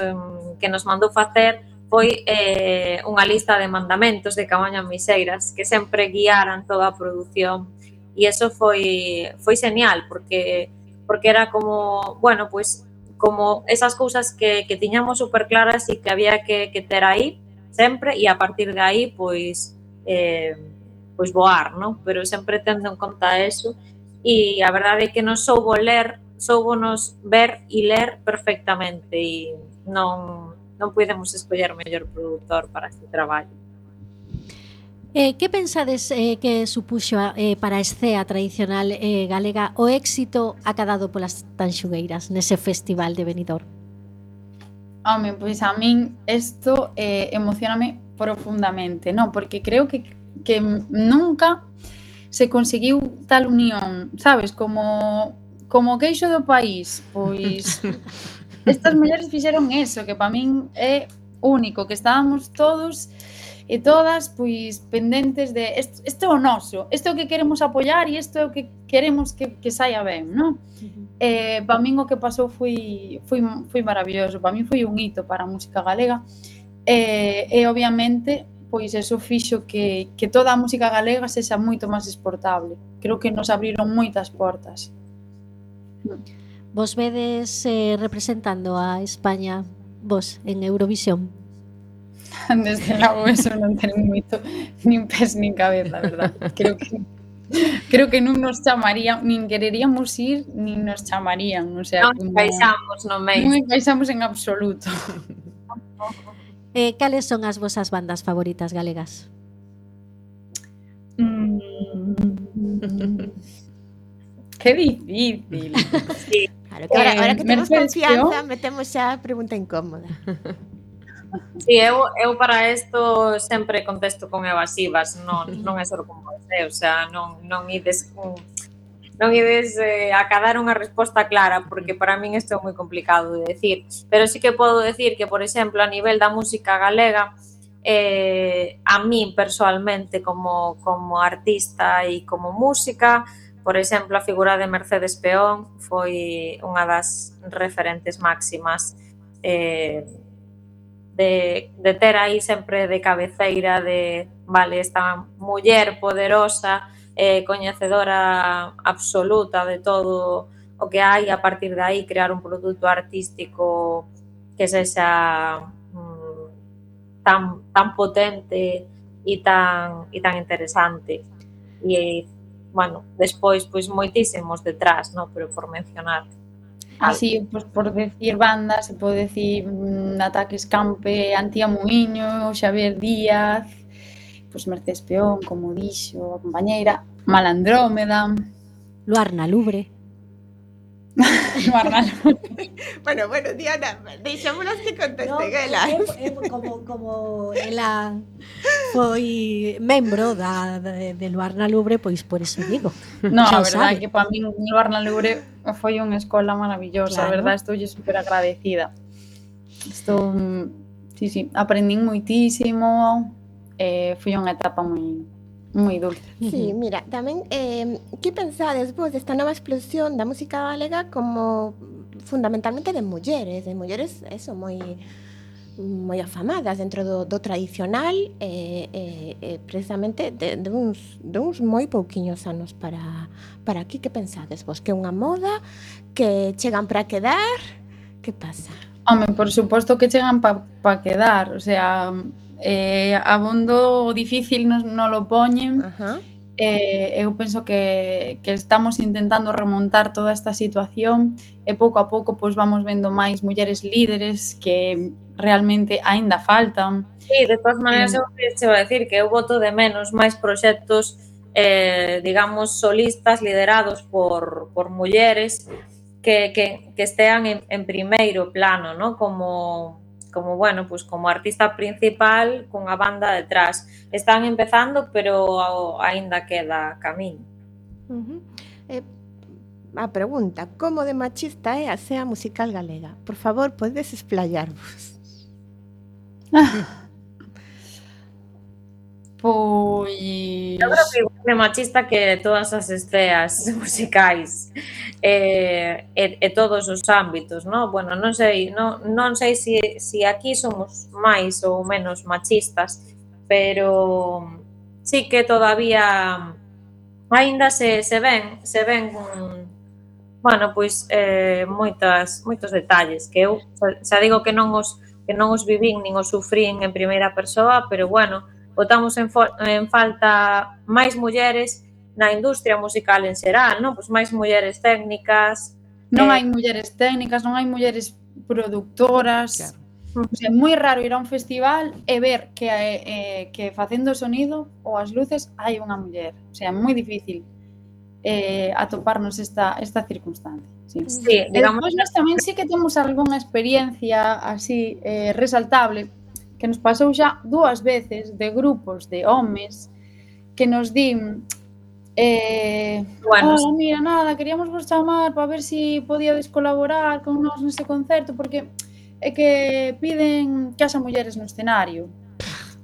que nos mandou facer foi eh, unha lista de mandamentos de Cabaña Miseiras que sempre guiaran toda a produción, e eso foi foi genial porque porque era como, bueno, pues como esas cousas que, que tiñamos super claras e que había que, que ter aí sempre, e a partir de aí pois eh, pois voar, ¿no? Pero sempre tendo en conta eso, e a verdade é que nos soubo ler, soubonos ver e ler perfectamente, e non non podemos escoller o mellor produtor para este traballo. Eh, que pensades eh, que supuxo eh, para a escea tradicional eh, galega o éxito acadado polas Tanxugueiras nese festival de Benidorm? Home, pois a min isto eh, emocioname profundamente, non? Porque creo que, que nunca se conseguiu tal unión, sabes? Como, como queixo do país, pois estas mulleres fixeron eso, que para min é único, que estábamos todos e todas pois pendentes de isto, isto é o noso, isto é o que queremos apoiar e isto é o que queremos que, que saia ben, non? Uh-huh. Eh, para min o que pasou foi, foi, foi maravilloso, para min foi un hito para a música galega, e, e obviamente pois eso fixo que, que toda a música galega sexa moito máis exportable. Creo que nos abriron moitas portas. Vos vedes eh, representando a España, vos, en Eurovisión? Desde logo eso non ten moito nin pés nin cabeza, verdad? Creo que creo que non nos chamarían, nin quereríamos ir, nin nos chamarían, o sea, non encaixamos no meio. Non encaixamos en absoluto. Eh, cales son as vosas bandas favoritas galegas? Mm, que difícil. Sí. Claro, que ahora, Eh, ahora que temos Mercedes confianza, Peón. metemos xa a pregunta incómoda. Sí, eu, eu para isto sempre contesto con evasivas, non, non é só como você, o sea, non, non ides non ides eh, a cadar unha resposta clara, porque para min isto é moi complicado de decir, pero sí que podo decir que, por exemplo, a nivel da música galega, eh, a min persoalmente como, como artista e como música, por exemplo, a figura de Mercedes Peón foi unha das referentes máximas eh, de, de ter aí sempre de cabeceira de, vale, esta muller poderosa, eh, coñecedora absoluta de todo o que hai, a partir de aí crear un produto artístico que sexa mm, tan, tan potente e tan, e tan interesante. E, bueno, despois, pois, moitísimos detrás, no? Pero por mencionar. Así, pois, por decir bandas, se pode decir mm, Ataques Campe, Antía Muiño, Xavier Díaz, pois Mercedes Peón, como dixo a compañeira, Malandrómeda, Luarna Lubre. Luarna Lubre. Bueno, bueno, Diana, deixámonos que conteste, No, Gela. eu, eu, como, como ela foi membro da, de, de Luarna Lubre, pois por eso digo. No, Xa a o verdade sabe. que para min Luarna Lubre foi unha escola maravillosa, Claro. a verdade estou super agradecida. Estou, sí, sí, aprendín moitísimo, eh, foi unha etapa moi moi dulce. Sí, mira, tamén, eh, que pensades vos desta nova explosión da música galega como fundamentalmente de mulleres, de mulleres, eso, moi moi afamadas dentro do, do tradicional, eh, eh, eh, precisamente de, de, uns, de uns moi pouquiños anos para, para aquí. Que pensades vos? Que é unha moda? Que chegan para quedar? Que pasa? Home, por suposto que chegan para pa quedar, o sea, eh, abondo difícil non no lo poñen. Ajá. Eh, eu penso que, que estamos intentando remontar toda esta situación e pouco a pouco pois vamos vendo máis mulleres líderes que realmente aínda faltan. Sí, de todas maneiras, eu che vou decir que eu voto de menos máis proxectos, eh, digamos, solistas liderados por, por mulleres que, que, que estean en, en primeiro plano, ¿no? Como, como, bueno, pues como artista principal cunha banda detrás. Están empezando, pero aínda queda camiño. Uh-huh. Eh, a pregunta, como de machista é a escena musical galega? Por favor, podedes explayarvos. Pois... Eu creo que igual é machista que todas as esceas musicais eh, e, e todos os ámbitos, non? Bueno, non sei, non, non sei se si, si aquí somos máis ou menos machistas, pero sí que todavía aínda se, se ven, se ven bueno, pois eh, moitas, moitos detalles que eu xa digo que non os que non os vivín nin os sufrín en primeira persoa, pero bueno, botamos en, en falta máis mulleres na industria musical en xeral, non? Pois máis mulleres técnicas. Non eh, hai mulleres técnicas, non hai mulleres productoras. Claro. O sea, é moi raro ir a un festival e ver que, eh, que facendo o sonido ou as luces hai unha muller. O sea, é moi difícil eh, atoparnos esta, esta circunstancia. Sí, sí, e digamos, despois nós tamén sí que temos algunha experiencia así eh, resaltable que nos pasou xa dúas veces de grupos de homes que nos din eh, bueno, oh, mira, nada, queríamos vos chamar para ver se si podíades colaborar con nós nese concerto porque é que piden que haxa mulleres no escenario.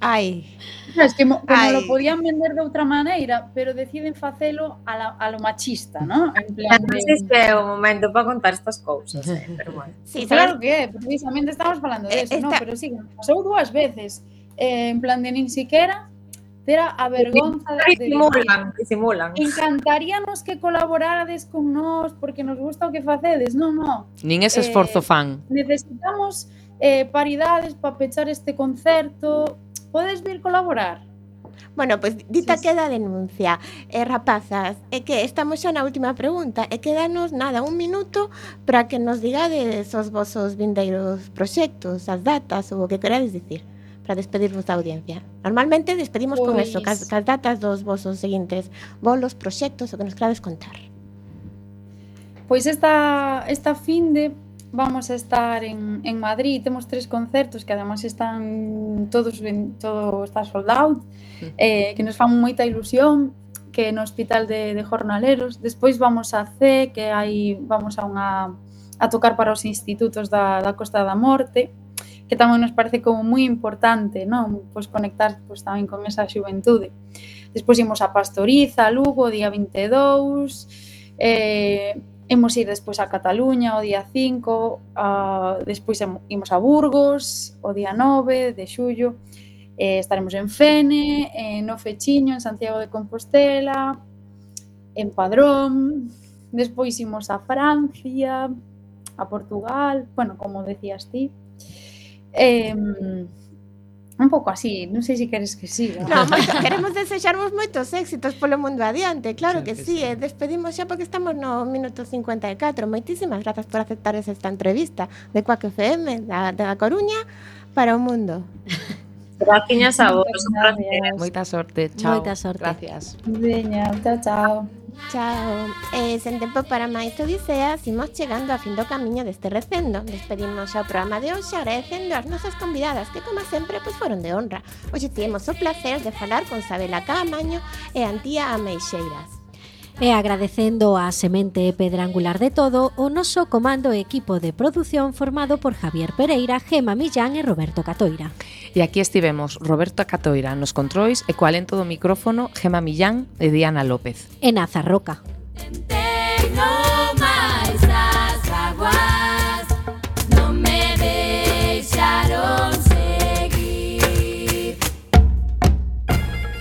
Ai, Es que mo, como Ai. lo podían vender de outra maneira, pero deciden facelo a, la, a lo machista, ¿no? En plan non de... sei se é o momento para contar estas cousas, eh, pero bueno. sí, Claro sabes? que é, precisamente estamos falando de Eh, eso, ¿no? esta- Pero sí, pasou dúas veces, eh, en plan de nin siquiera tera a vergonza de, de Disimulan, disimulan. encantaríanos que colaborarades con nós porque nos gusta o que facedes. Non, non. Nin ese esforzo Eh, fan. Necesitamos eh, paridades para pechar este concerto. Podes vir colaborar? Bueno, pois pues, dita Sí, sí. queda a denuncia. Eh, rapazas, é que estamos xa na última pregunta e quedanos nada, un minuto para que nos digades os vosos vindeiros proxectos, as datas ou o que querades dicir para despedirvos da audiencia. Normalmente despedimos con Pois- eso, cas, cas datas dos vosos seguintes bolos, proxectos, o que nos querades contar. Pois esta, esta finde vamos a estar en, en Madrid, temos tres concertos que además están todos ben, todo está sold out, eh, que nos fan moita ilusión, que no Hospital de, de Jornaleros. Despois vamos a C, que aí vamos a unha a tocar para os institutos da, da Costa da Morte, que tamén nos parece como moi importante, non? Pois conectar pois, tamén con esa xuventude. Despois imos a Pastoriza, a Lugo, o día vinte e dous, eh, imos ir despois a Cataluña o día cinco, a, despois imos a Burgos o día nove de xullo, eh, estaremos en Fene, eh, no Fechiño, en Santiago de Compostela, en Padrón, despois imos a Francia, a Portugal, bueno, como decías ti, eh, un pouco así, non sei se queres que siga. No, moito, queremos desexarvos moitos éxitos polo mundo adiante, claro Claro que, que sí, sí. eh, despedimos xa porque estamos no minuto cincuenta e catro. Moitísimas grazas por aceptar esta entrevista de Quack F M da, da Coruña para o mundo. Graciñas a vos. Moitas un placer. gracias. Moita sorte, chao. Moita sorte. Gracias. Veña, chao, chao. Chao. Eh, sen tempo para máis odiseas, imos chegando a fin do camiño deste recendo. Despedimos xa o programa de hoxe agradecendo as nosas convidadas que, como sempre, pois foron de honra. Hoxe tivemos o placer de falar con Sabela Caamaño e Antía Ameixeiras. E agradecendo a semente pedra angular de todo o noso comando e equipo de produción formado por Javier Pereira, Gema Millán e Roberto Catoira. E aquí estivemos Roberto Catoira nos controis e co alento do micrófono Gema Millán e Diana López. En Azarroca. Tengo máis as aguas, non me deixaron seguir.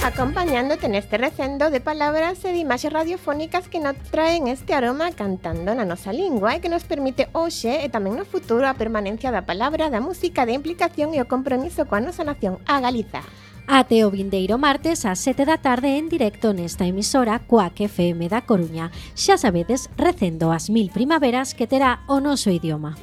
Acompañándote neste recendo de palabras e de imaxes radiofónicas que nos traen este aroma cantando na nosa lingua e que nos permite hoxe e tamén no futuro a permanencia da palabra, da música, da implicación e o compromiso coa nosa nación, a Galiza. Ate o vindeiro martes ás sete da tarde en directo nesta emisora Quack F M da Coruña. Xa sabedes, recendo as mil primaveras que terá o noso idioma.